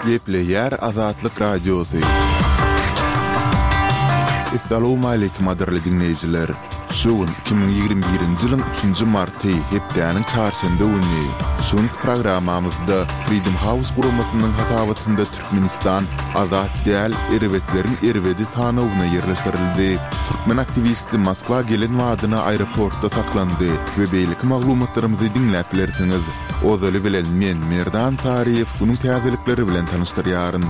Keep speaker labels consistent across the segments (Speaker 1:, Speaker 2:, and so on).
Speaker 1: Gepleýär Azatlyk Radiosy. Essalawmaleýkim gadyrly diňleýjiler! Şu gün 2021-nji ýylyň üçünji marty, hepdäniň çarşenbe güni. Şu günki programmamyzda Freedom House guramasynyň hasabatynda Türkmenistan azat däl erbetleriň erbedi sanawyna ýerleşdirildi. Türkmen aktiwisti Moskwa gelen badyna aeroportda saklandy we beýleki maglumatlarymyzy diňläp bilersiňiz. Ozaly bilen men, Merdan Saryýew günüň täzelikleri bilen tanyşdyrýaryn.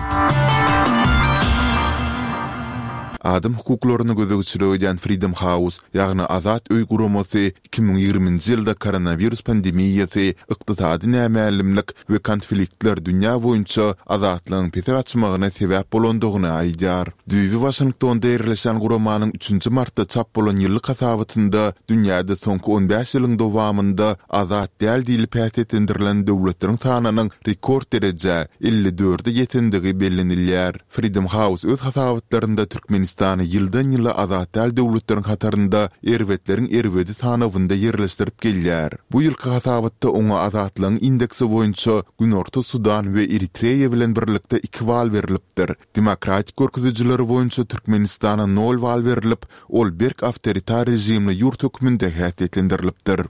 Speaker 1: Adam hukuklaryna gözegçilik edýän Freedom House, ýagny Azat öý guramasy 2020-nji ýylda koronawirus pandemiýasy, ykdysady nämälimlik we konfliktler dünýä boýunça azatlygyň pese gaçmagyna sebäp bolandygyny aýdýar. Düýbi Waşingtonda ýerleşýän guramanyň üçünji martda çap bolan ýyllyk hasabatynda dünýäde soňky on bäş ýylyň dowamynda azat däl diýlip häsiýetlendirilen döwletleriň sanynyň rekord derejä, 54-e ýetendigi bellenilýär. Freedom House öz hasabatlarynda Türkmenistany ýyldan-ýyla azat däl döwletleriň hatarynda erbetleriň erbedi sanawynda ýerleşdirip gelýär. Bu ýylky hasabatda oňa azatlygyň indeksi boýunça Günorta Sudan we Eritreýa bilen birlikde iki bal berlipdir. Demokratik görkezijileri boýunça Türkmenistana nol bal berlip, ol berk awtoritar režimli ýurt hökmünde häsiýetlendirilipdir.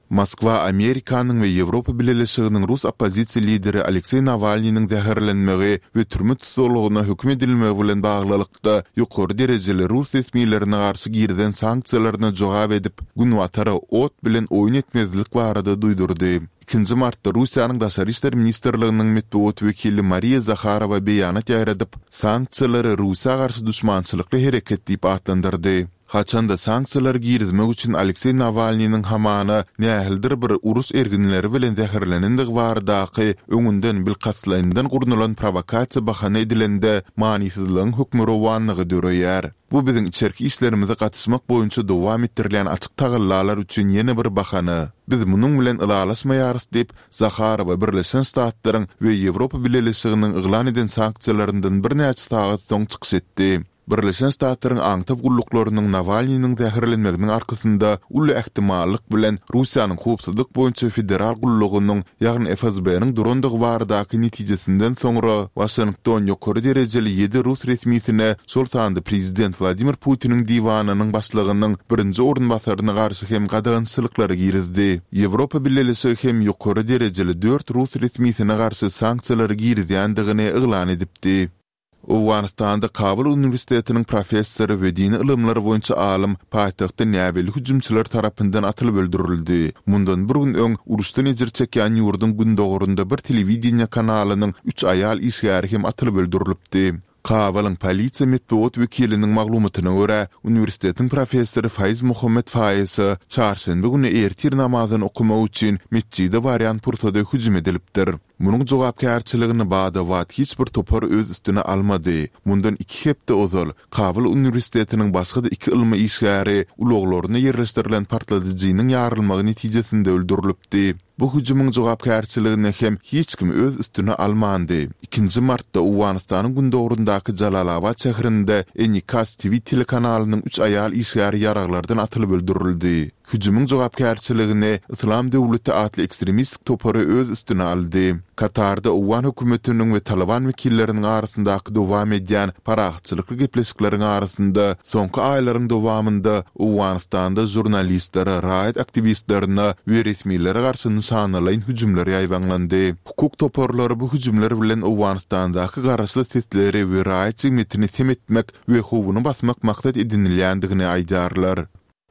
Speaker 1: Moskwa Amerikanyň we Ýewropa Bileleşiginiň rus oppozisiýa lideri Alekseý Nawalnynyň zäherlenmegi we türme tussaglygyna höküm edilmegi bilen baglylykda ýokary derejeli rus resmilerine garşy girizen sanksiýalaryna jogap edip, Günbatara ot bilen oýun etmezlik barada duýdurdy. Ikinji martda Russiýanyň Daşary işler ministrliginiň metbugat wekili Mariýa Zaharowa beýanat ýaýradyp, sanksiýalary Russiýa garşy duşmançylykly hereket diýip atlandyrdy. Haçanda sanksiýalary girizmek üçin Alekseý Nawalnynyň hamana nähilidir bir uruş erginleri bilen zäherlenendigi baradaky öňünden bilkastlaýyndan gurnalan prowokasiýa bahana edilende manysyzlygyň hökmürowanlygy döreýär. Bu biziň içerki işlerimize gatyşmak boýunça dowam etdirilýän açyk tagallalar üçin ýene bir bahana. Biz munuň bilen ylalaşmaýarys diýip, Zaharowa Birleşen Ştatlaryň we Ýewropa Bileleşiginiň yglan eden sanksiýalaryndan birnäçe sagat soň çykyş etdi. Birleşen Ştatlaryň aňtaw gulluklarynyň Nawalnynyň zäherlenmeginiň arkasynda uly ähtimallyk bilen Russiýanyň Howpsuzlyk boýunça federal gullugynyň, ýagny FSB-niň durandygy baradaky netijesinden soňra, Waşington ýokary derejeli ýedi rus resmisine, şol sanda prezident Wladimir Putiniň diwanynyň başlygynyň birinji orunbasaryna garşy hem gadagançylyklary girizdi. Ýewropa Bileleşigi hem ýokary derejeli dört rus resmisine garşy sanksiýalary girizýändigini yglan edipdi. Owganystanda Kabul uniwersitetiniň professory we dini ylymlar boýunça alym paýtagtda näbelli hüjümçiler tarapyndan atylyp öldürildi. Mundan bir gün öň, uruşdan ejir çekýän ýurduň gündogarynda bir telewideniýe kanalynyň üç aýal işgäri hem atylyp öldürilipdi. Kabulyň polisiýa metbugat wekiliniň maglumatyna görä, uniwersitetiň professory Faiz Muhammed Faisa çarşenbe güni ertir namazyny okamak üçin metjide barýan pursady hüjüm edilipdir. Munuň jogapkärçiligini bada-bat hiç bir topar öz üstüne almady. Mundan iki hepde ozal, Kabul uniwersitetiniň başga-da iki ylmy işgäri ulaglarynda ýerleşdirilen partladyjynyň ýarylmagy netijesinde öldürilipdi. Bu hüjümiň jogapkärçiligini hem hiç kim öz üstüne almandy. Ikinji martda Owganystanyň gündogaryndaky Jalalabat şäherinde Enikas TV telekanalynyň üç aýal işgäri ýaraglardan atylyp öldürildi. Hüjümiň jogapkärçiligini Yslam döwleti atly ekstremistik topary öz üstüne aldy. Katarda owgan hökümetiniň we Talyban wekilleriniň arasyndaky dowam edýän parahatçylykly gepleşikleriň arasynda soňky aýlaryň dowamynda Owganystanda žurnalistlere, raýat aktiwistlerine we resmilere garşy nyşanalaýyn hüjümler ýaýbaňlandy. Hukuk toparlary bu hüjümler bilen Owganystandaky garaşsyz sesleri we raýat jemgyýetini sem etmek we howuny basmak maksat edinilýändigini aýdýarlar.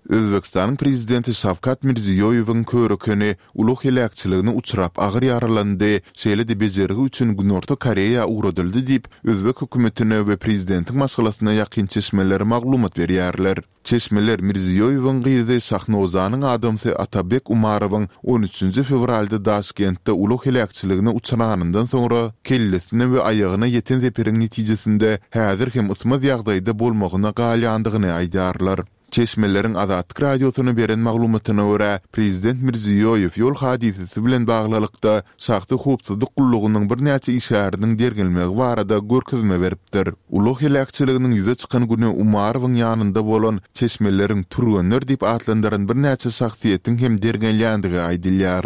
Speaker 1: Özbegistanyň Prezidenti Şawkat Mirziýoýewiň körekeni ulag heläkçiligine uçrap agyr ýaralandy, şeýle-de bejergi üçin Günorta Koreýa ugradyldy diýip, özbek hökümetine we prezidentiň maşgalasyna ýakyn çeşmeler maglumat berýärler. Çeşmeler Mirziýoýewiň gyzy Şahnozanyň adamsy Atabek Umarowyň on üçünji fewralda Daşkentde ulag heläkçiligine uçranyndan soňra kellesine we aýagyna ýeten zeperiň netijesinde häzir hem ysmaz ýagdaýda bolmagyna galýandygyny aýdýarlar. Çeşmeleriň Azatlyk Radiosyna beren maglumatyna görä, prezident Mirziýoýew ýol hadysasy bilen baglylykda şahsy howpsuzlyk gullugynyň birnäçe işgäriniň derňelmegi barada görkezme beripdir. Ulag heläkçiliginiň ýüze çykan güni Umarowyň ýanynda bolan, çeşmeleriň türgenler diýip atlandyran birnäçe şahsyýetiň hem derňelýändigi aýdylýar.